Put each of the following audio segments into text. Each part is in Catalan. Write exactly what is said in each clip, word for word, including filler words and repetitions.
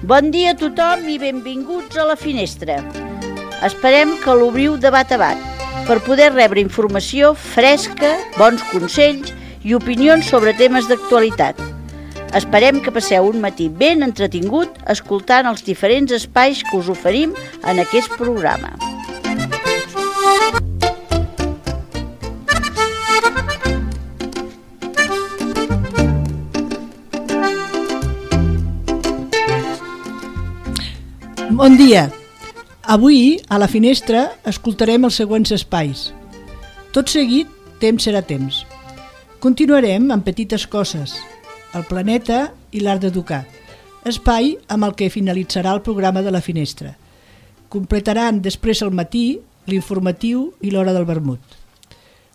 Bon dia a tothom i benvinguts a La Finestra. Esperem que l'obriu de bat a bat per poder rebre informació fresca, bons consells i opinions sobre temes d'actualitat. Esperem que passeu un matí ben entretingut escoltant els diferents espais que us oferim en aquest programa. Bon dia! Avui, a La Finestra, escoltarem els següents espais. Tot seguit, Temps serà temps. Continuarem amb Petites coses, El planeta i l'art d'educar, espai amb el que finalitzarà el programa de La Finestra. Completaran després al matí l'informatiu i l'hora del vermut.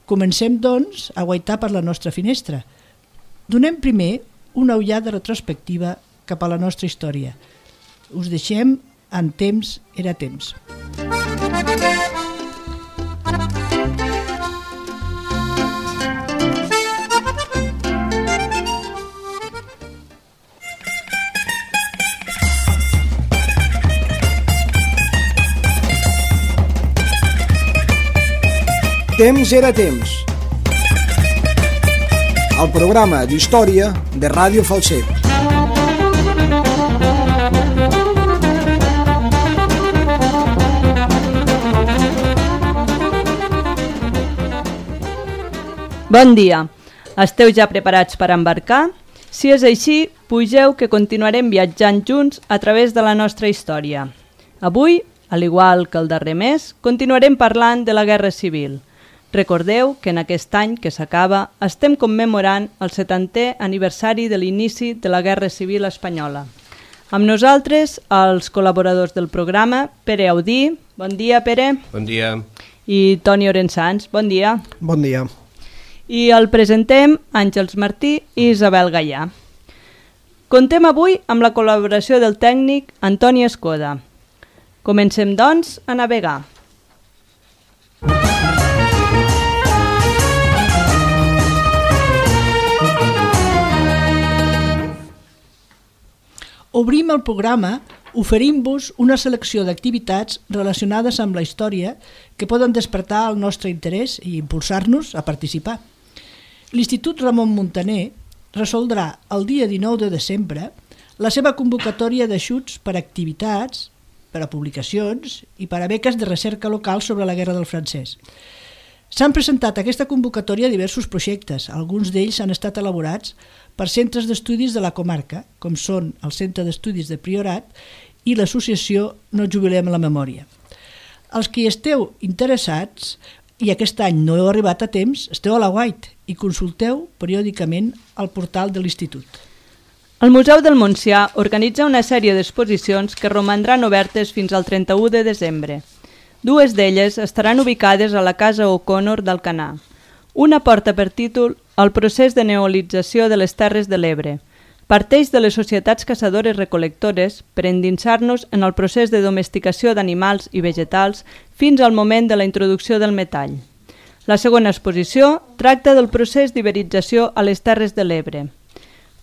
Comencem, doncs, a guaitar per la nostra finestra. Donem primer una ullada retrospectiva cap a la nostra història. Us deixem en Temps era temps. Temps era temps. El programa d'història de Ràdio Falset. Bon dia. Esteu ja preparats per embarcar? Si és així, pugeu que continuarem viatjant junts a través de la nostra història. Avui, al igual que el darrer mes, continuarem parlant de la Guerra Civil. Recordeu que en aquest any que s'acaba estem commemorant el setantè aniversari de l'inici de la Guerra Civil espanyola. Amb nosaltres, els col·laboradors del programa, Pere Audí. Bon dia, Pere. Bon dia. I Toni Orensans. Bon dia. Bon dia. I el presentem Àngels Martí i Isabel Gallà. Contem avui amb la col·laboració del tècnic Antoni Escoda. Comencem, doncs, a navegar. Obrim el programa oferint-vos una selecció d'activitats relacionades amb la història que poden despertar el nostre interès i impulsar-nos a participar. L'Institut Ramon Muntaner resoldrà el dia dinou de desembre la seva convocatòria d'ajuts per a activitats, per a publicacions i per a beques de recerca local sobre la Guerra del Francès. S'han presentat a aquesta convocatòria diversos projectes, alguns d'ells han estat elaborats per centres d'estudis de la comarca, com són el Centre d'Estudis de Priorat i l'associació No Jubilem la Memòria. Els que hi esteu interessats i aquest any no heu arribat a temps, esteu a la White i consulteu periòdicament el portal de l'Institut. El Museu del Montsià organitza una sèrie d'exposicions que romandran obertes fins al trenta-u de desembre. Dues d'elles estaran ubicades a la Casa O'Connor d'Alcanar. Una porta per títol El procés de neolització de les Terres de l'Ebre. Parteix de les societats caçadores-recol·lectores per endinsar-nos en el procés de domesticació d'animals i vegetals fins al moment de la introducció del metall. La segona exposició tracta del procés d'iberització a les Terres de l'Ebre.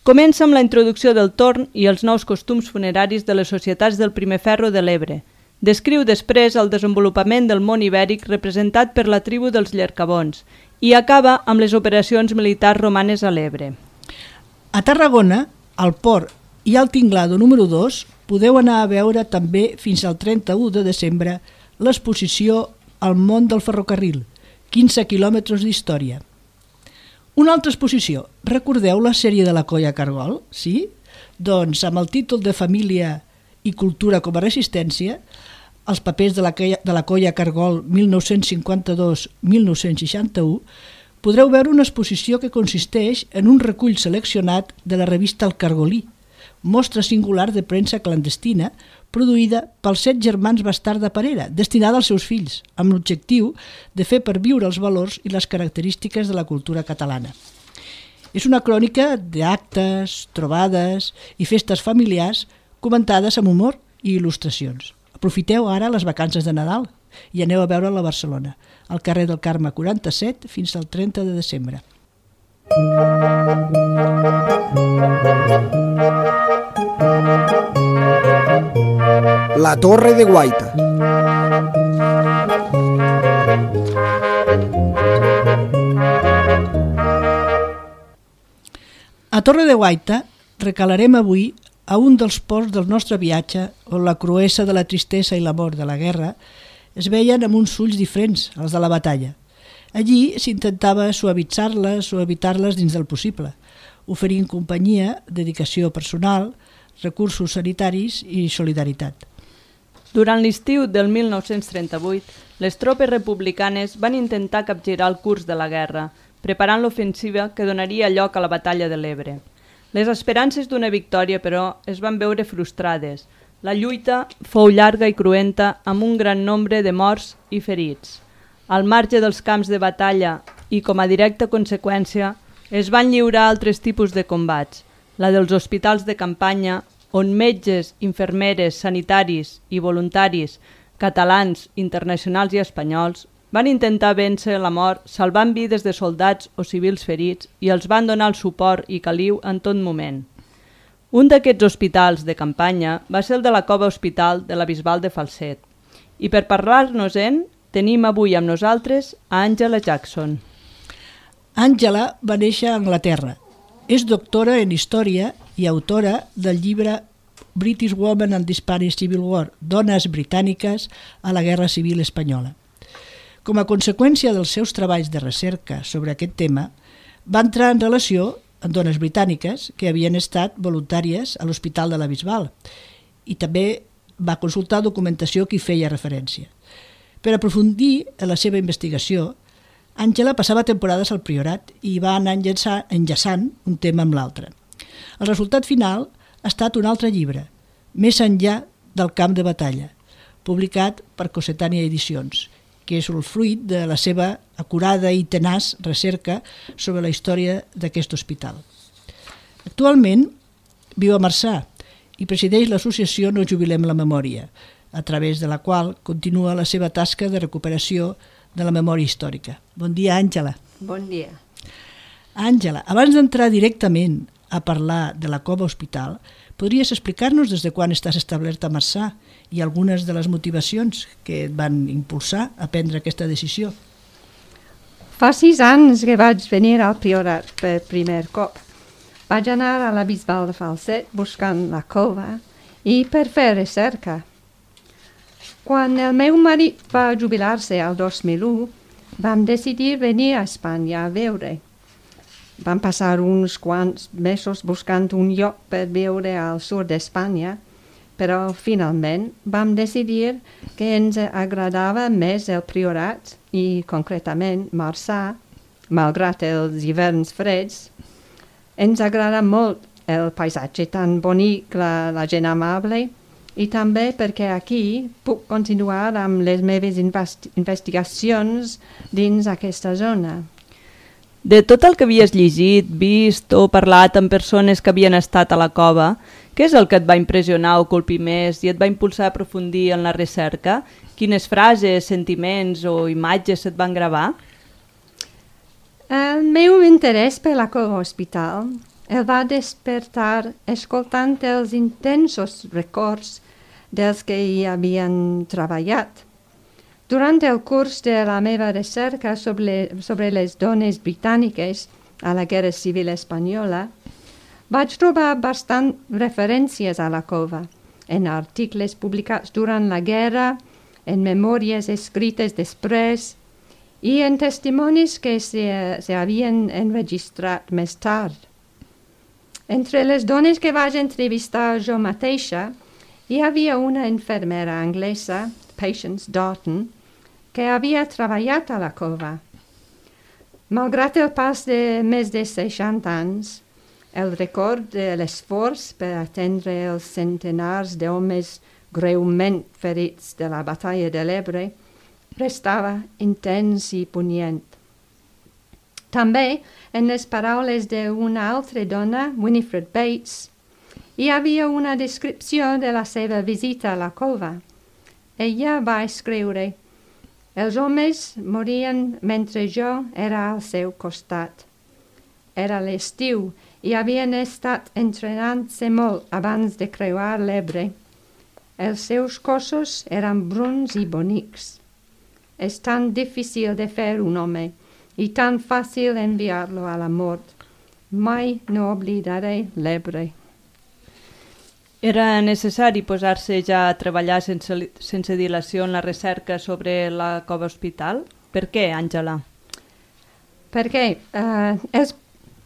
Comença amb la introducció del torn i els nous costums funeraris de les societats del primer ferro de l'Ebre. Descriu després el desenvolupament del món ibèric representat per la tribu dels Llercabons i acaba amb les operacions militars romanes a l'Ebre. A Tarragona, al Port i al Tinglado número dos, podeu anar a veure també fins al trenta-u de desembre l'exposició El món del ferrocarril, quinze quilòmetres d'història. Una altra exposició, recordeu la sèrie de la Colla Cargol? Sí? Doncs amb el títol de Família i cultura com a resistència, els papers de la, de la Colla Cargol mil nou-cents cinquanta-dos a mil nou-cents seixanta-u, podreu veure una exposició que consisteix en un recull seleccionat de la revista El Cargolí, mostra singular de premsa clandestina produïda pels set germans Bastard de Parera, destinada als seus fills, amb l'objectiu de fer perviure els valors i les característiques de la cultura catalana. És una crònica d'actes, trobades i festes familiars comentades amb humor i il·lustracions. Aprofiteu ara les vacances de Nadal i aneu a veure'l a Barcelona, al carrer del Carme quaranta-set fins al trenta de desembre. La Torre de Guaita. A Torre de Guaita recalarem avui a un dels ports del nostre viatge on la cruesa de la tristesa i l'amor de la guerra es veien amb uns ulls diferents als de la batalla. Allí s'intentava suavitzar-les o evitar-les dins del possible, oferint companyia, dedicació personal, recursos sanitaris i solidaritat. Durant l'estiu del mil nou-cents trenta-vuit, les tropes republicanes van intentar capgirar el curs de la guerra, preparant l'ofensiva que donaria lloc a la batalla de l'Ebre. Les esperances d'una victòria, però, es van veure frustrades. La lluita fou llarga i cruenta amb un gran nombre de morts i ferits. Al marge dels camps de batalla i com a directa conseqüència, es van lliurar altres tipus de combats, la dels hospitals de campanya, on metges, infermeres, sanitaris i voluntaris, catalans, internacionals i espanyols, van intentar vèncer la mort salvant vides de soldats o civils ferits i els van donar el suport i caliu en tot moment. Un d'aquests hospitals de campanya va ser el de la Cova Hospital de la Bisbal de Falset. I per parlar-nos-en, tenim avui amb nosaltres a Angela Jackson. Angela va néixer a Anglaterra. És doctora en Història i autora del llibre British Women and the Spanish Civil War, Dones britàniques a la Guerra Civil Espanyola. Com a conseqüència dels seus treballs de recerca sobre aquest tema, va entrar en relació amb dones britàniques que havien estat voluntàries a l'Hospital de la Bisbal i també va consultar documentació que hi feia referència. Per aprofundir en la seva investigació, Àngela passava temporades al Priorat i va anar enllaçant un tema amb l'altre. El resultat final ha estat un altre llibre, Més enllà del camp de batalla, publicat per Cossetània Edicions, que és el fruit de la seva acurada i tenaç recerca sobre la història d'aquest hospital. Actualment viu a Marçà i presideix l'associació No Jubilem la Memòria, a través de la qual continua la seva tasca de recuperació de la memòria històrica. Bon dia, Àngela. Bon dia. Àngela, abans d'entrar directament a parlar de la Cova Hospital, podries explicar-nos des de quan estàs establerta a Marçà i algunes de les motivacions que et van impulsar a prendre aquesta decisió? Fa sis anys que vaig venir al Priorat per primer cop. Vaig anar a la Bisbal de Falset buscant la cova i per fer recerca. Quan el meu marit va jubilar-se al dos mil u, vam decidir venir a Espanya a veure. Vam passar uns quants mesos buscant un lloc per viure al sud d'Espanya, però finalment vam decidir que ens agradava més el Priorat i concretament Marçà, malgrat els hiverns freds. Ens agrada molt el paisatge tan bonic, la, la gent amable, i també perquè aquí puc continuar amb les meves investi- investigacions dins aquesta zona. De tot el que havies llegit, vist o parlat amb persones que havien estat a la cova, què és el que et va impressionar o colpir més i et va impulsar a aprofundir en la recerca? Quines frases, sentiments o imatges et van gravar? El meu interès per la Cova Hospital el va despertar escoltant els intensos records dels que hi havien treballat. Durant el curs de la meva recerca sobre, sobre les dones britàniques a la Guerra Civil Espanyola, vaig trobar bastant referències a la cova, en articles publicats durant la guerra, en memòries escrites després i en testimonis que se, se havien enregistrat més tard. Entre les dones que vaig entrevistar jo mateixa, hi havia una infermera anglesa, Patience Darton, que havia treballat a la cova. Malgrat el pas de més de seixanta anys, el record de l'esforç per atendre els centenars d'homes greument ferits de la batalla de l'Ebre restava intens i punyent. També, en les paraules d'una altra dona, Winifred Bates, hi havia una descripció de la seva visita a la cova. Ella va escriure: els homes morien mentre jo era al seu costat. Era l'estiu i havien estat entrenant-se molt abans de creuar l'Ebre. Els seus cossos eren bruns i bonics. És tan difícil de fer un home i tan fàcil enviar-lo a la mort. Mai no oblidaré l'Ebre. Era necessari posar-se ja a treballar sense, sense dilació en la recerca sobre la cova hospital? Per què, Àngela? Perquè eh, els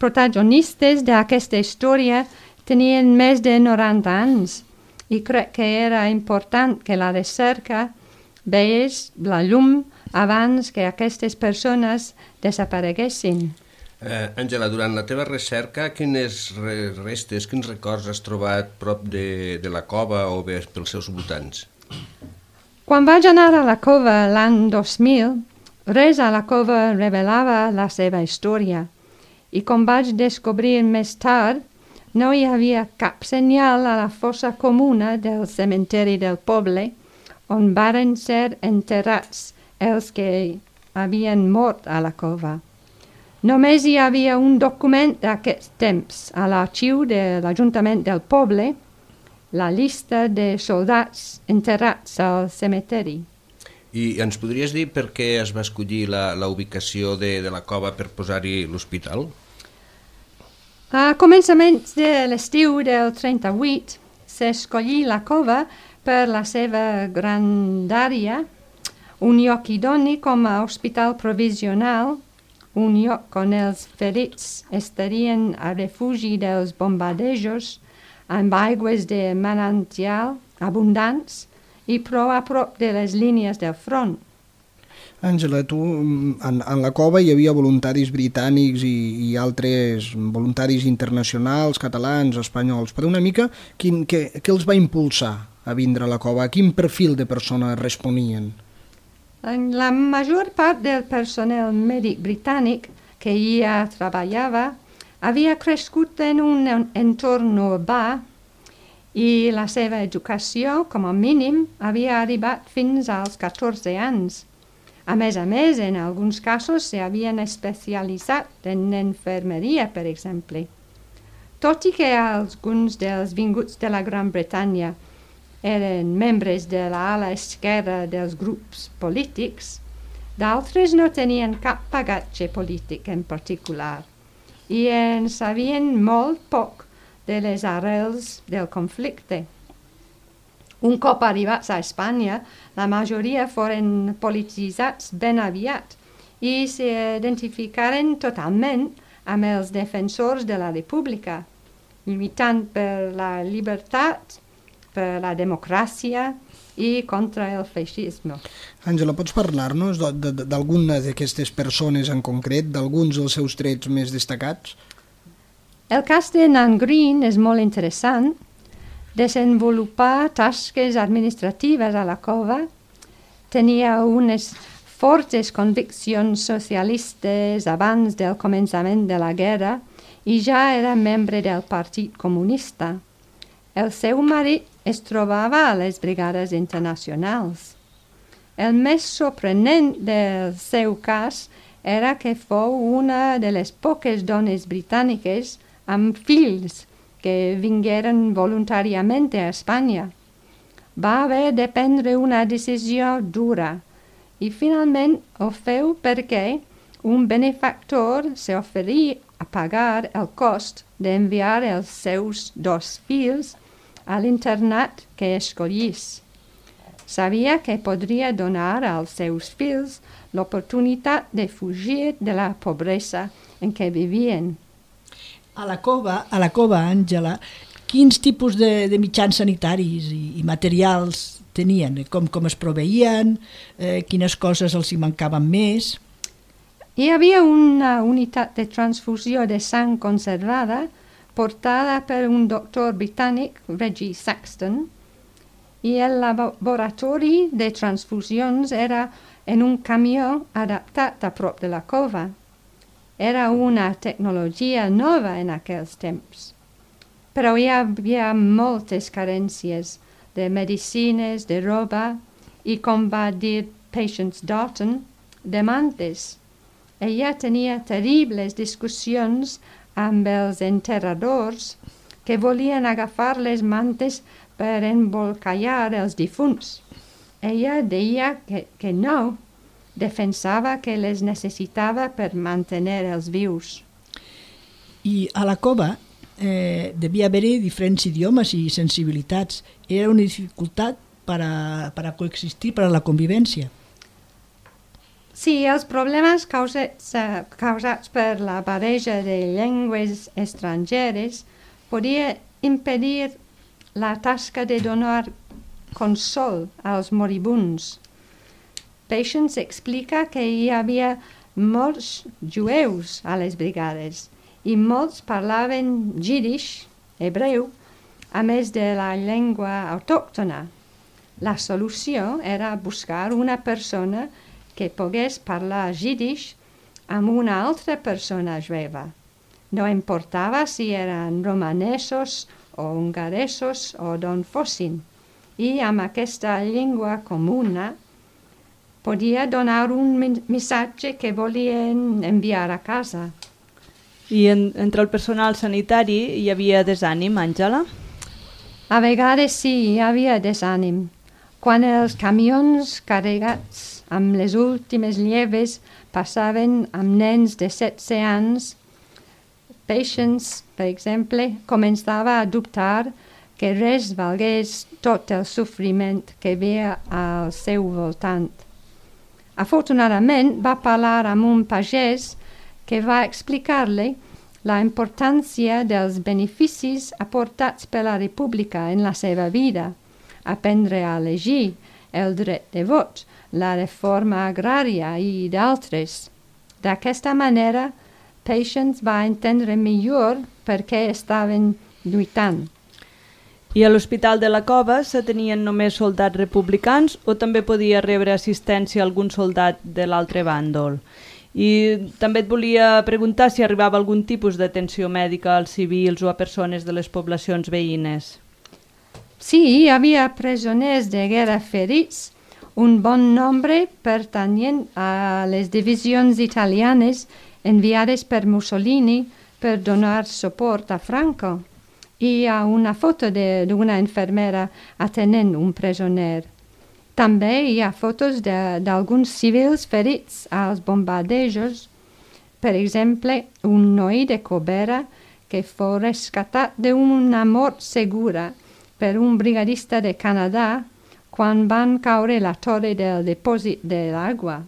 protagonistes d'aquesta història tenien més de noranta anys i crec que era important que la recerca veiés la llum abans que aquestes persones desapareguessin. Àngela, eh, durant la teva recerca, quines restes, quins records has trobat prop de, de la cova o bé pels seus voltants? Quan vaig anar a la cova l'any dos mil, res a la cova revelava la seva història i com vaig descobrir més tard, no hi havia cap senyal a la fossa comuna del cementeri del poble on varen ser enterrats els que havien mort a la cova. Només hi havia un document d'aquest temps a l'arxiu de l'Ajuntament del poble, la llista de soldats enterrats al cementeri. I ens podries dir per què es va escollir la, la ubicació de, de la cova per posar-hi l'hospital? A començaments de l'estiu del trenta-vuit s'escollí la cova per la seva grandària, un lloc idoni com a hospital provisional, un lloc on els ferits estarien a refugi dels bombardejos amb aigües de manantial abundants i prou a prop de les línies del front. Àngela, tu, en, en la cova hi havia voluntaris britànics i, i altres voluntaris internacionals, catalans, espanyols, però una mica quin, què, què els va impulsar a vindre a la cova? A quin perfil de persona responien? La major part del personal mèdic britànic que hi treballava havia crescut en un entorn urbà i la seva educació, com a mínim, havia arribat fins als catorze anys. A més a més, en alguns casos s'havien especialitzat en infermeria, per exemple. Tot i que alguns dels vinguts de la Gran Bretanya eren membres de l'ala esquerra dels grups polítics, d'altres no tenien cap bagatge polític en particular i en sabien molt poc de les arrels del conflicte. Un cop arribats a Espanya, la majoria foren polititzats ben aviat i s'identificaren totalment amb els defensors de la República, lluitant per la llibertat, per la democràcia i contra el feixisme. Àngela, pots parlar-nos d'alguna d'aquestes persones en concret, d'alguns dels seus trets més destacats? El cas de Nan Green és molt interessant. Desenvolupar tasques administratives a la cova, tenia unes fortes conviccions socialistes abans del començament de la guerra i ja era membre del Partit Comunista. El seu marit es trobava a les brigades internacionals. El més sorprenent del seu cas era que fou una de les poques dones britàniques amb fills que vingueren voluntàriament a Espanya. Va haver de prendre una decisió dura i finalment ho feu perquè un benefactor s'oferí a pagar el cost d'enviar els seus dos fills a l'internat que escollís. Sabia que podria donar als seus fills l'oportunitat de fugir de la pobresa en què vivien. A la cova, a la cova, Àngela, quins tipus de, de mitjans sanitaris i, i materials tenien? Com, com es proveïen? Eh, quines coses els hi mancaven més? Hi havia una unitat de transfusió de sang conservada portada per un doctor britànic, Reggie Saxton, i el laboratori de transfusions era en un camió adaptat a prop de la cova. Era una tecnologia nova en aquells temps. Però hi havia moltes carències de medicines, de roba i, com va dir Patience Darton, de mantes. Ella tenia terribles discussions amb els enterradors que volien agafar les mantes per embolcallar els difunts. Ella deia que, que no, defensava que les necessitava per mantenir els vius. I a la cova eh, devia haver-hi diferents idiomes i sensibilitats. Era una dificultat per a, per a coexistir, per a la convivència. Sí, els problemes causats, uh, causats per la barreja de llengües estrangeres podia impedir la tasca de donar consol als moribunds. Patience explica que hi havia molts jueus a les brigades i molts parlaven jiddisch, hebreu, a més de la llengua autòctona. La solució era buscar una persona que pogués parlar jiddisch amb una altra persona jueva. No importava si eren romanesos o hongaresos o d'on fossin. I amb aquesta llengua comuna podia donar un missatge que volien enviar a casa. I en, entre el personal sanitari hi havia desànim, Àngela? A vegades sí, hi havia desànim. Quan els camions carregats amb les últimes lleves passaven amb nens de setze anys, Patience, per exemple, començava a dubtar que res valgués tot el sofriment que veia al seu voltant. Afortunadament va parlar amb un pagès que va explicar-li la importància dels beneficis aportats per la República en la seva vida, aprendre a elegir, el dret de vot, la reforma agrària i d'altres. D'aquesta manera, Patience va entendre millor per què estaven lluitant. I a l'Hospital de la Cova se tenien només soldats republicans o també podia rebre assistència algun soldat de l'altre bàndol? I també et volia preguntar si arribava algun tipus d'atenció mèdica als civils o a persones de les poblacions veïnes. Sí, hi havia presoners de guerra ferits, un bon nombre pertanyent a les divisions italianes enviades per Mussolini per donar suport a Franco. Hi ha una foto d'una infermera atenent un presoner. També hi ha fotos d'alguns civils ferits als bombardejos. Per exemple, un noi de Cobera que fou rescatat d'una mort segura per un brigadista de Canadà quan van caure la torre del dipòsit de l'aigua.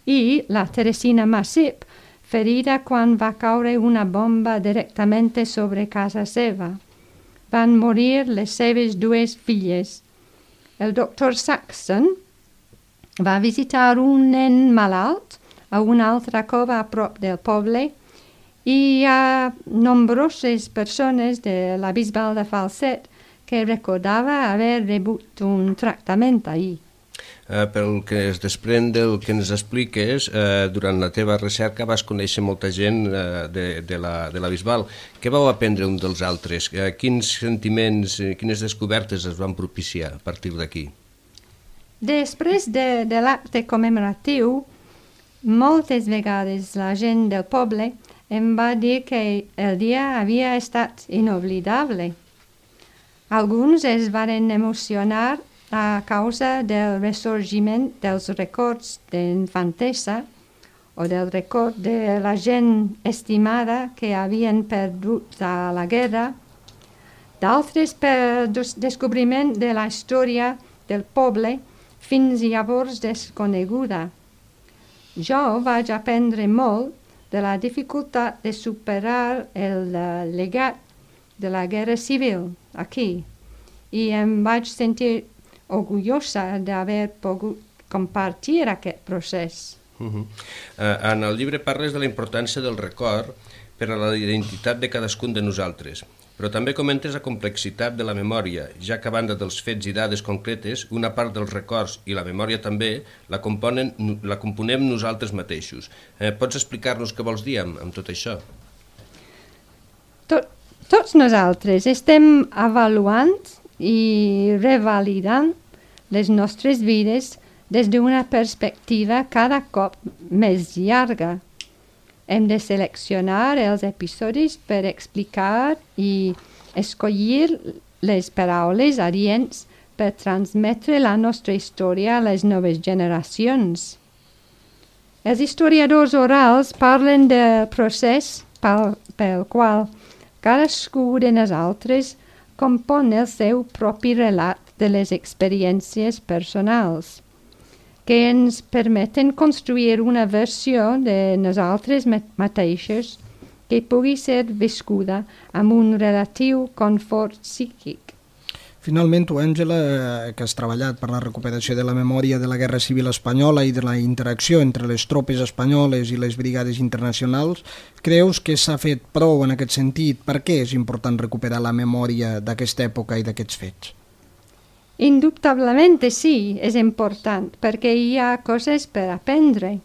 I la Teresina Massip, ferida quan va caure una bomba directament sobre casa seva. Van morir les seves dues filles. El doctor Saxon va visitar un nen malalt a una altra cova a prop del poble i hi ha nombroses persones de la Bisbal de Falset que recordava haver rebut un tractament ahir. Eh, pel que es desprèn del que ens expliques, eh, durant la teva recerca vas conèixer molta gent eh, de, de, la, de la Bisbal. Què vau aprendre un dels altres? Eh, quins sentiments, eh, quines descobertes es van propiciar a partir d'aquí? Després de, de l'acte commemoratiu, moltes vegades la gent del poble em va dir que el dia havia estat inoblidable. Alguns es varen emocionar a causa del ressorgiment dels records d'infantesa o del record de la gent estimada que havien perdut a la guerra, d'altres per descobriment de la història del poble fins llavors desconeguda. Jo vaig aprendre molt de la dificultat de superar el legat de la guerra civil aquí i em vaig sentir orgullosa d'haver pogut compartir aquest procés. Uh -huh. uh, en el llibre parles de la importància del record per a la identitat de cadascun de nosaltres, però també comentes la complexitat de la memòria, ja que a banda dels fets i dades concretes, una part dels records i la memòria també la, componen, la componem nosaltres mateixos. Eh, pots explicar-nos què vols dir amb, amb tot això? Tot, tots nosaltres estem avaluant i revalidant les nostres vides des d'una perspectiva cada cop més llarga. Hem de seleccionar els episodis per explicar i escollir les paraules adients per transmetre la nostra història a les noves generacions. Els historiadors orals parlen del procés pel, pel qual cadascú de nosaltres compon el seu propi relat de les experiències personals, que ens permeten construir una versió de nosaltres mateixos que pugui ser viscuda amb un relatiu confort psíquic. Finalment, tu, Àngela, que has treballat per la recuperació de la memòria de la Guerra Civil Espanyola i de la interacció entre les tropes espanyoles i les brigades internacionals, creus que s'ha fet prou en aquest sentit? Per què és important recuperar la memòria d'aquesta època i d'aquests fets? Indubtablement sí, és important, perquè hi ha coses per aprendre.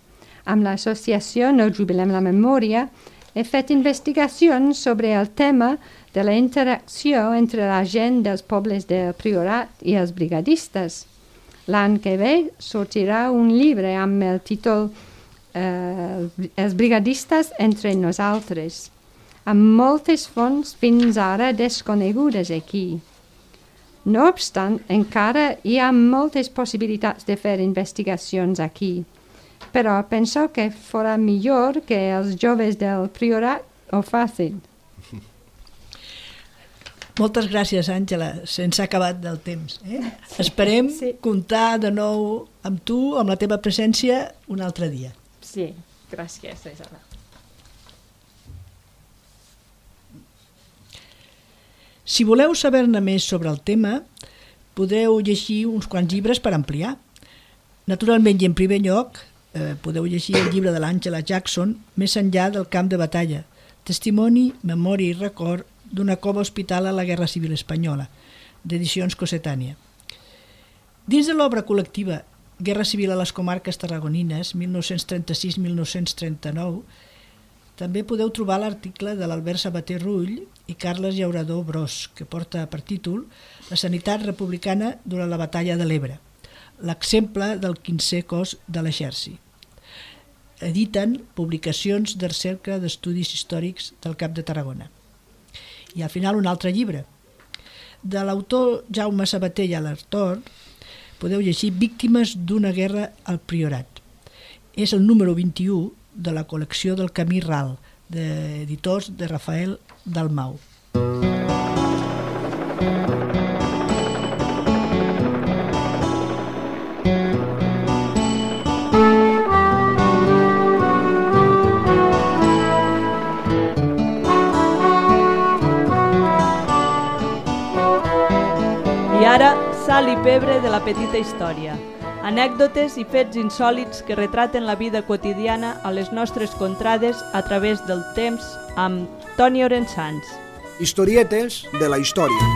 Amb l'associació No Jubilem la Memòria he fet investigacions sobre el tema de la interacció entre la gent dels pobles del Priorat i els brigadistes. L'any que ve sortirà un llibre amb el títol eh, Els brigadistes entre nosaltres, amb moltes fonts fins ara desconegudes aquí. No obstant, encara hi ha moltes possibilitats de fer investigacions aquí, però penso que fora millor que els joves del Priorat ho facin. Moltes gràcies, Àngela. Se'ns ha acabat del temps. Eh? Esperem sí. comptar de nou amb tu, amb la teva presència, un altre dia. Sí, gràcies, Isabel. Si voleu saber-ne més sobre el tema, podeu llegir uns quants llibres per ampliar. Naturalment, i en primer lloc, eh, podeu llegir el llibre de l'Àngela Jackson, Més enllà del camp de batalla, testimoni, memòria i record d'una cova hospital a la Guerra Civil Espanyola, d'Edicions Cossetània. Dins de l'obra col·lectiva Guerra Civil a les comarques tarragonines, mil nou-cents trenta-sis a mil nou-cents trenta-nou, també podeu trobar l'article de l'Albert Sabater Rull i Carles Llaurador Bros, que porta per títol La sanitat republicana durant la batalla de l'Ebre, l'exemple del quinzè cos de l'exèrcit. Editen Publicacions del Cercle d'Estudis Històrics del Camp de Tarragona. I al final un altre llibre. De l'autor Jaume Sabater i Alartor podeu llegir Víctimes d'una guerra al Priorat. És el número vint-i-u de la col·lecció del Camí Ral, d'editors de Rafael Dalmau. I ara, sal i pebre de la petita història. Anècdotes i fets insòlits que retraten la vida quotidiana a les nostres contrades a través del temps amb Toni Orensans. Historietes de la història.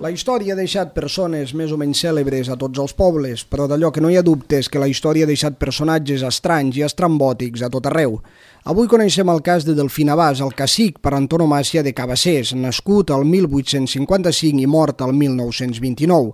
La història ha deixat persones més o menys cèlebres a tots els pobles, però d'allò que no hi ha dubtes que la història ha deixat personatges estranys i estrambòtics a tot arreu. Avui coneixem el cas de Delfí Navàs, el cacic per antonomàsia de Cabassers, nascut el mil vuit-cents cinquanta-cinc i mort el mil nou-cents vint-i-nou.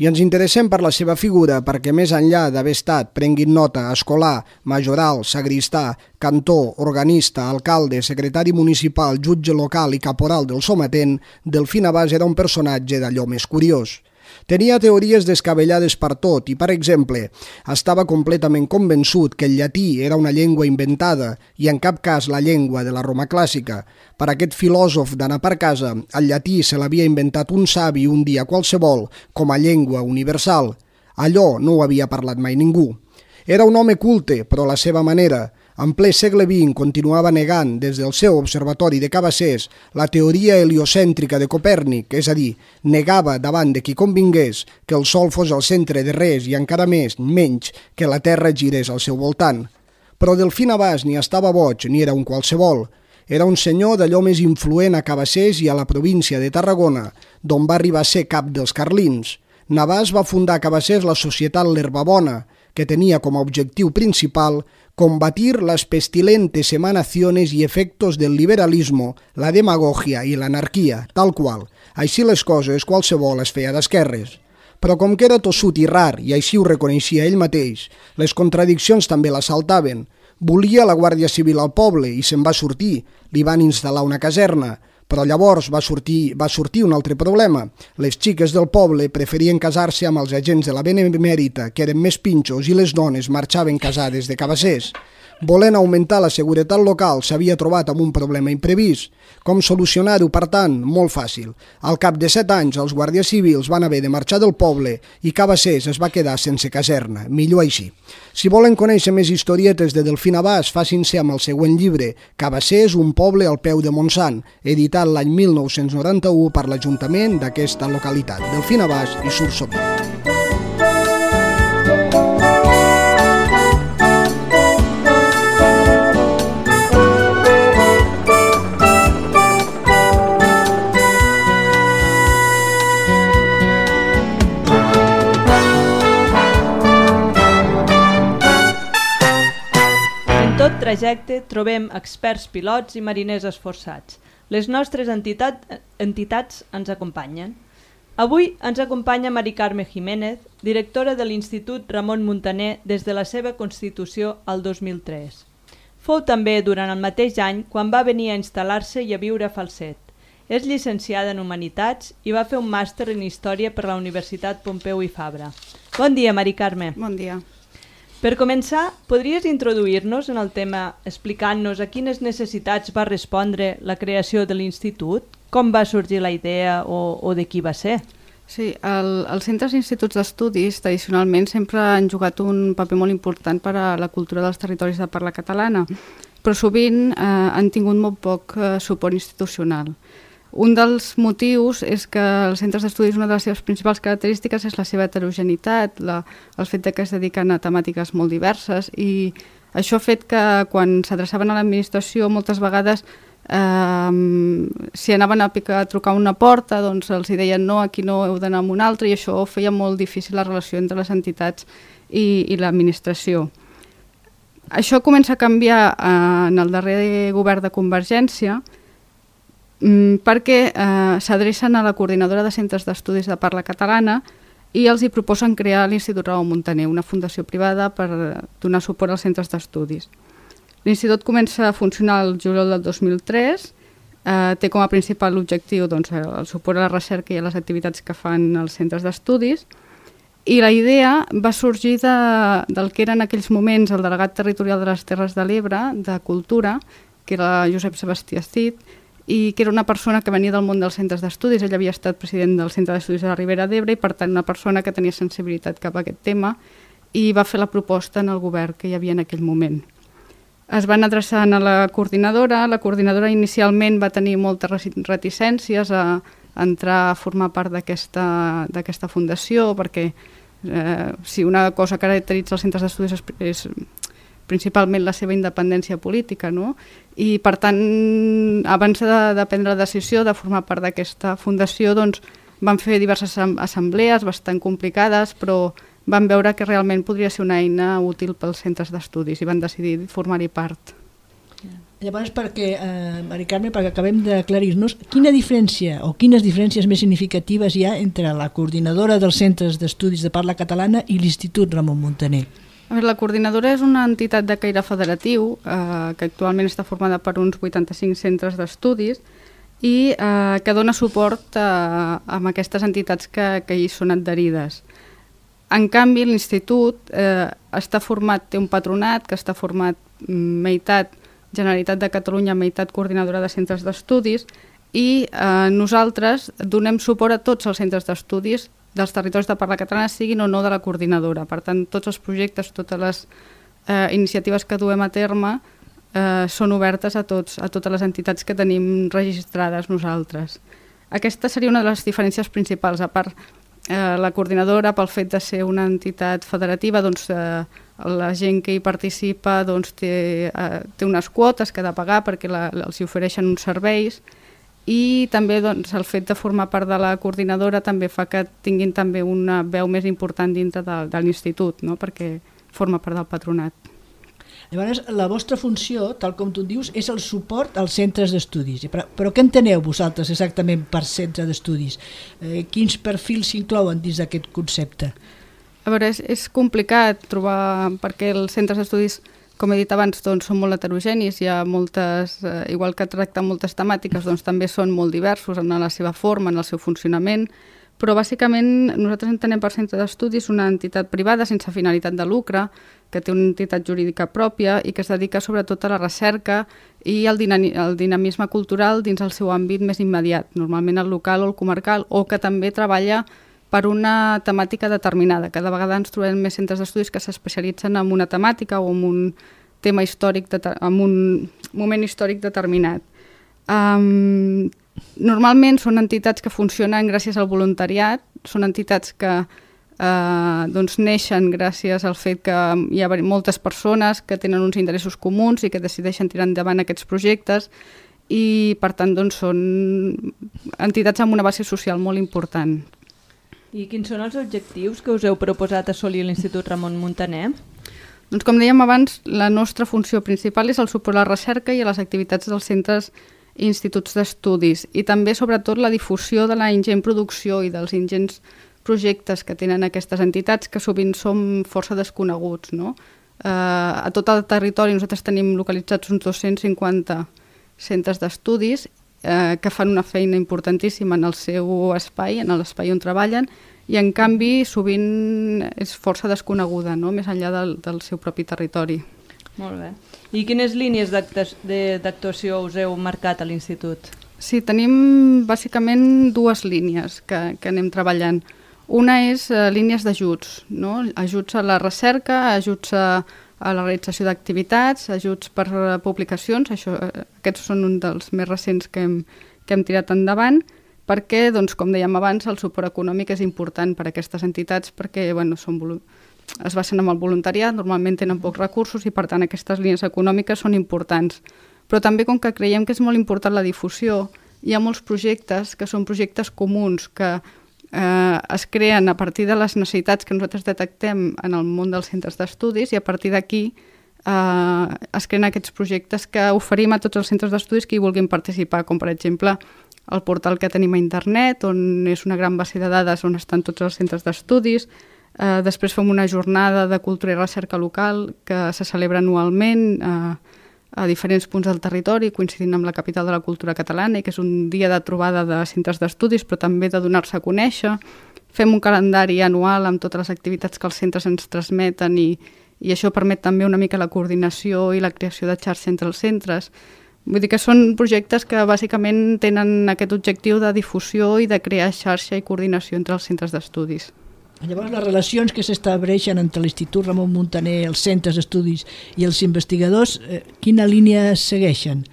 I ens interessem per la seva figura perquè més enllà d'haver estat, prenguin nota, escolà, majoral, sagristà, cantor, organista, alcalde, secretari municipal, jutge local i caporal del sometent, Delfí Navàs era un personatge d'allò més curiós. Tenia teories descabellades per tot i, per exemple, estava completament convençut que el llatí era una llengua inventada i en cap cas la llengua de la Roma clàssica. Per aquest filòsof d'anar per casa, el llatí se l'havia inventat un savi un dia qualsevol com a llengua universal. Allò no ho havia parlat mai ningú. Era un home culte, però a la seva manera. En ple segle vint continuava negant des del seu observatori de Cabassers la teoria heliocèntrica de Copèrnic, és a dir, negava davant de qui convingués que el Sol fos el centre de res i encara més, menys, que la Terra girés al seu voltant. Però Delfí Navàs ni estava boig ni era un qualsevol. Era un senyor d'allò més influent a Cabassers i a la província de Tarragona, d'on va arribar a ser cap dels carlins. Navàs va fundar a Cabassers la Societat L'Herbabona, que tenia com a objectiu principal combatir las pestilentes emanaciones y efectos del liberalismo, la demagogia i l'anarquia, tal qual. Així les coses, qualsevol es feia d'esquerres. Però com que era tossut i rar, i així ho reconeixia ell mateix, les contradiccions també l'assaltaven. Volia la Guàrdia Civil al poble i se'n va sortir. Li van instal·lar una caserna. Però llavors va sortir, va sortir un altre problema. Les xiques del poble preferien casar-se amb els agents de la Benemèrita, que eren més pinxos, i les dones marxaven casades de cabassers. Volent augmentar la seguretat local, s'havia trobat amb un problema imprevist. Com solucionar-ho, per tant? Molt fàcil. Al cap de set anys, els guàrdies civils van haver de marxar del poble i Cabassers es va quedar sense caserna. Millor així. Si volen conèixer més historietes de Delfín Abàs, facin-se amb el següent llibre, Cabassers, un poble al peu de Montsant, editat l'any mil nou-cents noranta-u per l'Ajuntament d'aquesta localitat. Delfín Abàs i Sursovit. Trajecte trobem experts pilots i mariners esforçats. Les nostres entitat, entitats ens acompanyen. Avui ens acompanya Mari Carme Jiménez, directora de l'Institut Ramon Muntaner des de la seva constitució al dos mil tres. Fou també durant el mateix any quan va venir a instal·lar-se i a viure a Falset. És llicenciada en Humanitats i va fer un màster en Història per la Universitat Pompeu i Fabra. Bon dia, Mari Carme. Bon dia. Per començar, podries introduir-nos en el tema explicant-nos a quines necessitats va respondre la creació de l'Institut? Com va sorgir la idea o, o de qui va ser? Sí, el, els centres i instituts d'estudis tradicionalment sempre han jugat un paper molt important per a la cultura dels territoris de parla catalana, però sovint eh, han tingut molt poc eh, suport institucional. Un dels motius és que els centres d'estudis, una de les seves principals característiques és la seva heterogeneïtat, la, el fet de que es dediquen a temàtiques molt diverses, i això ha fet que quan s'adreçaven a l'administració moltes vegades eh, si anaven a, picar, a trucar una porta, doncs els hi deien no, aquí no heu d'anar a una altra, i això feia molt difícil la relació entre les entitats i, i l'administració. Això comença a canviar eh, en el darrer govern de Convergència, perquè eh, s'adrecen a la coordinadora de centres d'estudis de parla catalana i els hi proposen crear l'Institut Ramon Muntaner, una fundació privada per donar suport als centres d'estudis. L'Institut comença a funcionar el juliol del dos mil tres, eh, té com a principal objectiu doncs, el suport a la recerca i a les activitats que fan els centres d'estudis, i la idea va sorgir de, del que era en aquells moments el delegat territorial de les Terres de l'Ebre, de Cultura, que era Josep Sebastià Cid, i que era una persona que venia del món dels centres d'estudis. Ell havia estat president del Centre d'Estudis de la Ribera d'Ebre i, per tant, una persona que tenia sensibilitat cap a aquest tema, i va fer la proposta en el govern que hi havia en aquell moment. Es van adreçar a la coordinadora. La coordinadora inicialment va tenir moltes reticències a entrar a formar part d'aquesta d'aquesta fundació, perquè eh, si una cosa caracteritza els centres d'estudis és, és principalment la seva independència política, no? I per tant, abans de, de prendre la decisió de formar part d'aquesta fundació, doncs, van fer diverses assemblees bastant complicades, però van veure que realment podria ser una eina útil pels centres d'estudis i van decidir formar-hi part. Llavors, perquè, eh, Mari Carme, perquè acabem d'aclarir-nos, quina diferència o quines diferències més significatives hi ha entre la coordinadora dels centres d'estudis de parla catalana i l'Institut Ramon Muntaner? A veure, la coordinadora és una entitat de caire federatiu eh, que actualment està formada per uns vuitanta-cinc centres d'estudis i eh, que dona suport a, a aquestes entitats que, que hi són adherides. En canvi, l'institut eh, està format, té un patronat que està format meitat Generalitat de Catalunya, meitat coordinadora de centres d'estudis, i eh, nosaltres donem suport a tots els centres d'estudis dels territoris de parla catalana, siguin o no de la coordinadora. Per tant, tots els projectes, totes les eh, iniciatives que duem a terme eh, són obertes a, tots, a totes les entitats que tenim registrades nosaltres. Aquesta seria una de les diferències principals. A part, eh, la coordinadora, pel fet de ser una entitat federativa, doncs, eh, la gent que hi participa doncs, té, eh, té unes quotes que ha de pagar perquè la, els hi ofereixen uns serveis, i també doncs, el fet de formar part de la coordinadora també fa que tinguin també una veu més important dintre de, de l'institut, no? Perquè forma part del patronat. Llavors, la vostra funció, tal com tu dius, és el suport als centres d'estudis. Però, però què enteneu vosaltres exactament per centre d'estudis? Eh, quins perfils s'inclouen dins d'aquest concepte? A veure, és, és complicat trobar, perquè els centres d'estudis Com he dit abans, doncs, són molt heterogenis, hi ha moltes, eh, igual que tracten moltes temàtiques, doncs també són molt diversos en la seva forma, en el seu funcionament, però bàsicament nosaltres entenem per centre d'estudis una entitat privada sense finalitat de lucre, que té una entitat jurídica pròpia i que es dedica sobretot a la recerca i al dinamisme cultural dins el seu àmbit més immediat, normalment el local o el comarcal, o que també treballa per una temàtica determinada. Cada vegada ens trobem més centres d'estudis que s'especialitzen en una temàtica o en un tema històric, en un moment històric determinat. Um, normalment són entitats que funcionen gràcies al voluntariat, són entitats que eh, doncs neixen gràcies al fet que hi ha moltes persones que tenen uns interessos comuns i que decideixen tirar endavant aquests projectes i per tant doncs, són entitats amb una base social molt important. I quins són els objectius que us heu proposat assolir a l'Institut Ramon Muntaner? Doncs com dèiem abans, la nostra funció principal és el suport a la recerca i a les activitats dels centres i instituts d'estudis i també sobretot la difusió de la ingent producció i dels ingents projectes que tenen aquestes entitats que sovint som força desconeguts, no? Eh, a tot el territori nosaltres tenim localitzats uns dos-cents cinquanta centres d'estudis eh, que fan una feina importantíssima en el seu espai, en l'espai on treballen, i en canvi sovint és força desconeguda, no? Més enllà del, del seu propi territori. Molt bé. I quines línies d'actuació us heu marcat a l'Institut? Sí, tenim bàsicament dues línies que, que anem treballant. Una és uh, línies d'ajuts, no? Ajuts a la recerca, ajuts a, a la realització d'activitats, ajuts per uh, publicacions, això, uh, aquests són un dels més recents que hem, que hem tirat endavant, perquè, doncs, com dèiem abans, el suport econòmic és important per a aquestes entitats perquè bueno, són es basen en el voluntariat, normalment tenen pocs recursos i per tant aquestes línies econòmiques són importants. Però també com que creiem que és molt important la difusió, hi ha molts projectes que són projectes comuns que eh, es creen a partir de les necessitats que nosaltres detectem en el món dels centres d'estudis i a partir d'aquí eh, es creen aquests projectes que oferim a tots els centres d'estudis que hi vulguin participar, com per exemple el portal que tenim a internet, on és una gran base de dades on estan tots els centres d'estudis. Uh, després fem una jornada de cultura i recerca local que se celebra anualment uh, a diferents punts del territori, coincidint amb la capital de la cultura catalana, i que és un dia de trobada de centres d'estudis, però també de donar-se a conèixer. Fem un calendari anual amb totes les activitats que els centres ens transmeten i, i això permet també una mica la coordinació i la creació de xarxa entre els centres. Vull dir que són projectes que bàsicament tenen aquest objectiu de difusió i de crear xarxa i coordinació entre els centres d'estudis. Llavors, les relacions que s'estableixen entre l'Institut Ramon Muntaner, els centres d'estudis i els investigadors, eh, quina línia segueixen?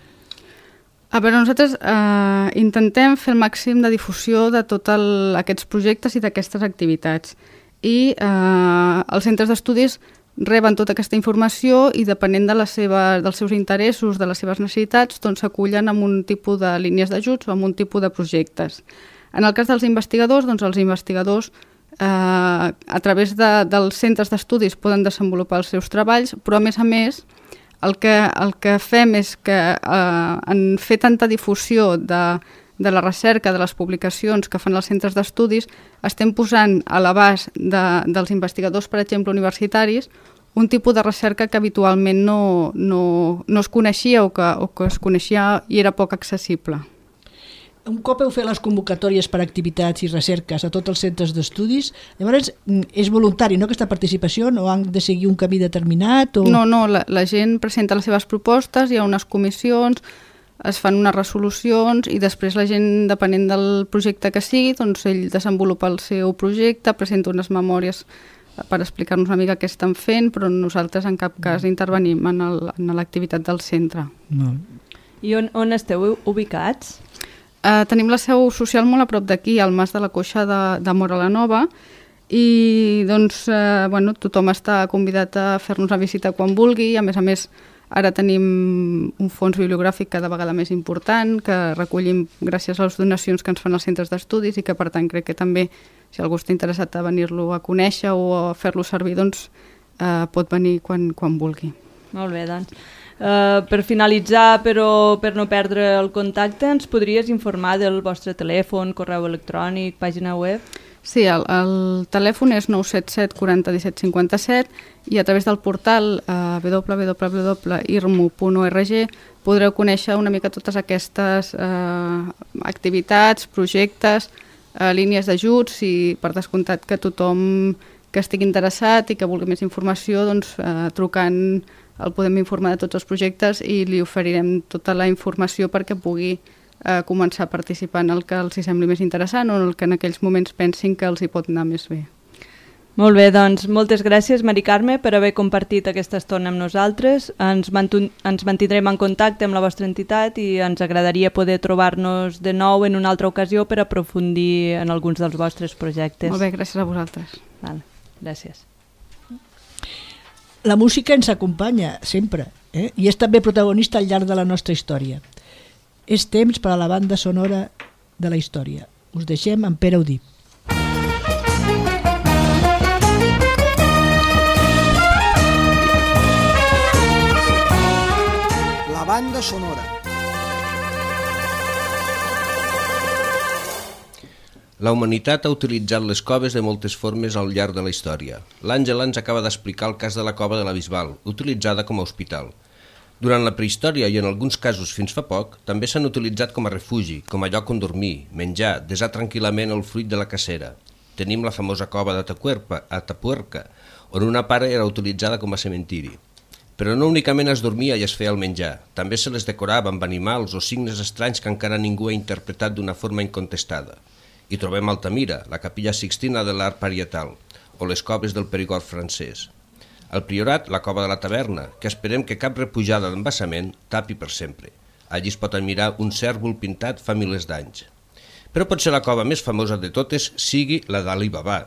A veure, nosaltres eh, intentem fer el màxim de difusió de tots aquests projectes i d'aquestes activitats. I eh, els centres d'estudis reben tota aquesta informació i depenent de la seva, dels seus interessos, de les seves necessitats, doncs s'acullen amb un tipus de línies d'ajuts o amb un tipus de projectes. En el cas dels investigadors, doncs els investigadors Eh, a través de, dels centres d'estudis poden desenvolupar els seus treballs, però a més a més el que, el que fem és que eh, en fer tanta difusió de, de la recerca, de les publicacions que fan els centres d'estudis, estem posant a l'abast de, dels investigadors, per exemple, universitaris, un tipus de recerca que habitualment no, no, no es coneixia o que, o que es coneixia i era poc accessible. Un cop heu fet les convocatòries per activitats i recerques a tots els centres d'estudis, llavors és voluntari, no, aquesta participació? No han de seguir un camí determinat? O... No, no, la, la gent presenta les seves propostes, hi ha unes comissions, es fan unes resolucions i després la gent, depenent del projecte que sigui, doncs ell desenvolupa el seu projecte, presenta unes memòries per explicar-nos una mica què estan fent, però nosaltres en cap cas intervenim en l'activitat del centre. No. I on, on esteu ubicats? Uh, tenim la seu social molt a prop d'aquí, al Mas de la Coixa de, de Móra la Nova, i doncs, uh, bueno, tothom està convidat a fer-nos una visita quan vulgui. A més a més, ara tenim un fons bibliogràfic cada vegada més important, que recollim gràcies a les donacions que ens fan els centres d'estudis i que, per tant, crec que també, si algú està interessat a venir-lo a conèixer o a fer-lo servir, doncs uh, pot venir quan, quan vulgui. Molt bé, doncs. Uh, per finalitzar, però per no perdre el contacte, ens podries informar del vostre telèfon, correu electrònic, pàgina web? Sí, el, el telèfon és nou set set quaranta disset cinquanta set i a través del portal eh, w w w punt i r m u punt org podreu conèixer una mica totes aquestes eh, activitats, projectes, eh, línies d'ajuts i per descomptat que tothom que estigui interessat i que vulgui més informació, doncs, eh, trucant el podem informar de tots els projectes i li oferirem tota la informació perquè pugui a començar a participar en el que els hi sembli més interessant o en el que en aquells moments pensin que els hi pot anar més bé. Molt bé, doncs moltes gràcies, Mari Carme, per haver compartit aquesta estona amb nosaltres. Ens, ens mantindrem en contacte amb la vostra entitat i ens agradaria poder trobar-nos de nou en una altra ocasió per aprofundir en alguns dels vostres projectes. Molt bé, gràcies a vosaltres. Val, gràcies. La música ens acompanya sempre, eh? I és també protagonista al llarg de la nostra història. És temps per a la banda sonora de la història. Us deixem amb Pere Udí. La banda sonora. La humanitat ha utilitzat les coves de moltes formes al llarg de la història. L'Àngela ens acaba d'explicar el cas de la cova de la Bisbal, utilitzada com a hospital. Durant la prehistòria i en alguns casos fins fa poc, també s'han utilitzat com a refugi, com a lloc on dormir, menjar, desar tranquil·lament el fruit de la cacera. Tenim la famosa cova d'Atapuerca, Atapuerca, on una part era utilitzada com a cementiri. Però no únicament es dormia i es feia el menjar, també se les decorava amb animals o signes estranys que encara ningú ha interpretat d'una forma incontestada. Hi trobem Altamira, la capella Sixtina de l'art parietal, o les coves del Perigord francès. Al Priorat, la cova de la Taverna, que esperem que cap repujada d'embassament tapi per sempre. Allí es pot admirar un cèrvol pintat fa milers d'anys. Però potser la cova més famosa de totes sigui la d'Ali Baba,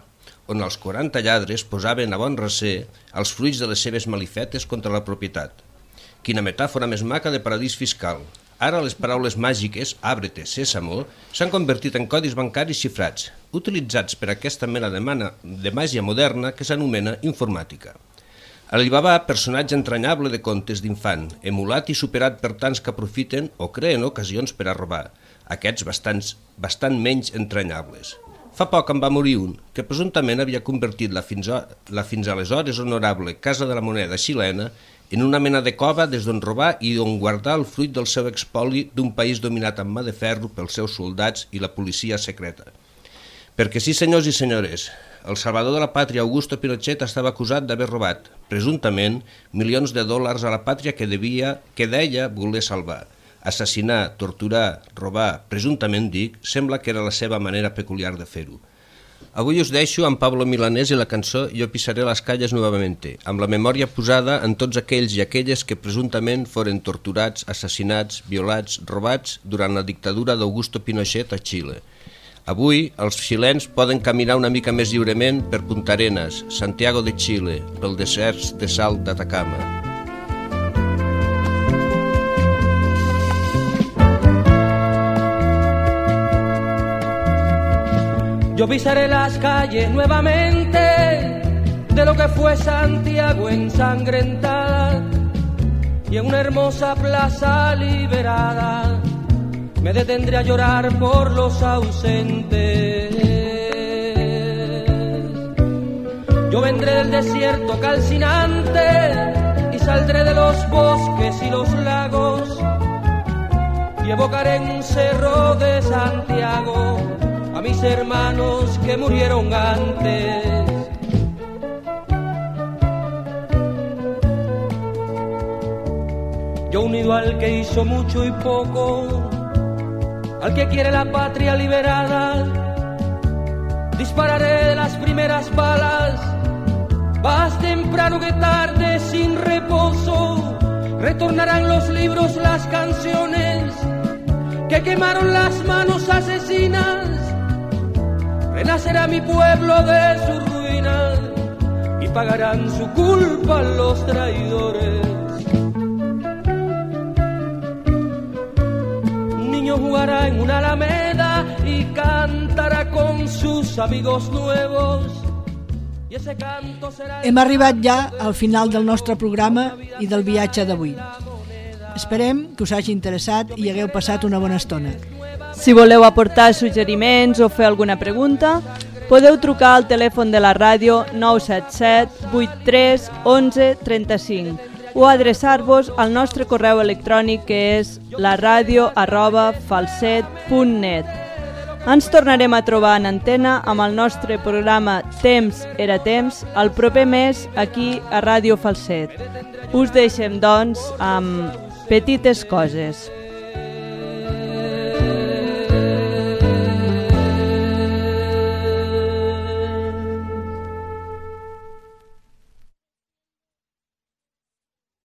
on els quaranta lladres posaven a bon recer els fruits de les seves malifetes contra la propietat. Quina metàfora més maca de paradís fiscal. Ara les paraules màgiques, àbrete, sésamo, s'han convertit en codis bancaris xifrats, utilitzats per aquesta mena de, mana, de màgia moderna que s'anomena informàtica. Alibaba, personatge entranyable de contes d'infant, emulat i superat per tants que aprofiten o creen ocasions per a robar, aquests bastants, bastant menys entranyables. Fa poc en va morir un, que presumptament havia convertit la fins, a, la fins aleshores honorable Casa de la Moneda xilena en una mena de cova des d'on robar i d'on guardar el fruit del seu expoli d'un país dominat amb mà de ferro pels seus soldats i la policia secreta. Perquè sí, senyors i senyores, el salvador de la pàtria Augusto Pinochet estava acusat d'haver robat, presumptament, milions de dòlars a la pàtria que, devia, que deia voler salvar. Assassinar, torturar, robar, presumptament dic, sembla que era la seva manera peculiar de fer-ho. Avui us deixo amb Pablo Milanés i la cançó Yo pisaré las calles nuevamente, amb la memòria posada en tots aquells i aquelles que presumptament foren torturats, assassinats, violats, robats durant la dictadura d'Augusto Pinochet a Xile. Avui, els xilens poden caminar una mica més lliurement per Punta Arenas, Santiago de Xile, pel deserts de sal d'Atacama. Yo pisaré las calles nuevamente de lo que fue Santiago ensangrentada y en una hermosa plaza liberada me detendré a llorar por los ausentes. Yo vendré del desierto calcinante y saldré de los bosques y los lagos y evocaré en un cerro de Santiago a mis hermanos que murieron antes. Yo unido al que hizo mucho y poco, al que quiere la patria liberada, dispararé de las primeras balas, más temprano que tarde sin reposo, retornarán los libros, las canciones que quemaron las manos asesinas, renacerá mi pueblo de su ruina y pagarán su culpa los traidores. Jugará en una alameda y cantarà con sus amigos nuevos. Y ese canto será... Hem arribat ja al final del nostre programa i del viatge d'avui. Esperem que us hagi interessat i hagueu passat una bona estona. Si voleu aportar suggeriments o fer alguna pregunta, Podeu trucar al telèfon de la ràdio nou set set vuit tres onze trenta-cinc o adreçar-vos al nostre correu electrònic que és laradio arroba falset punt net. Ens tornarem a trobar en antena amb el nostre programa Temps era temps el proper mes aquí a Ràdio Falset. Us deixem, doncs, amb petites coses.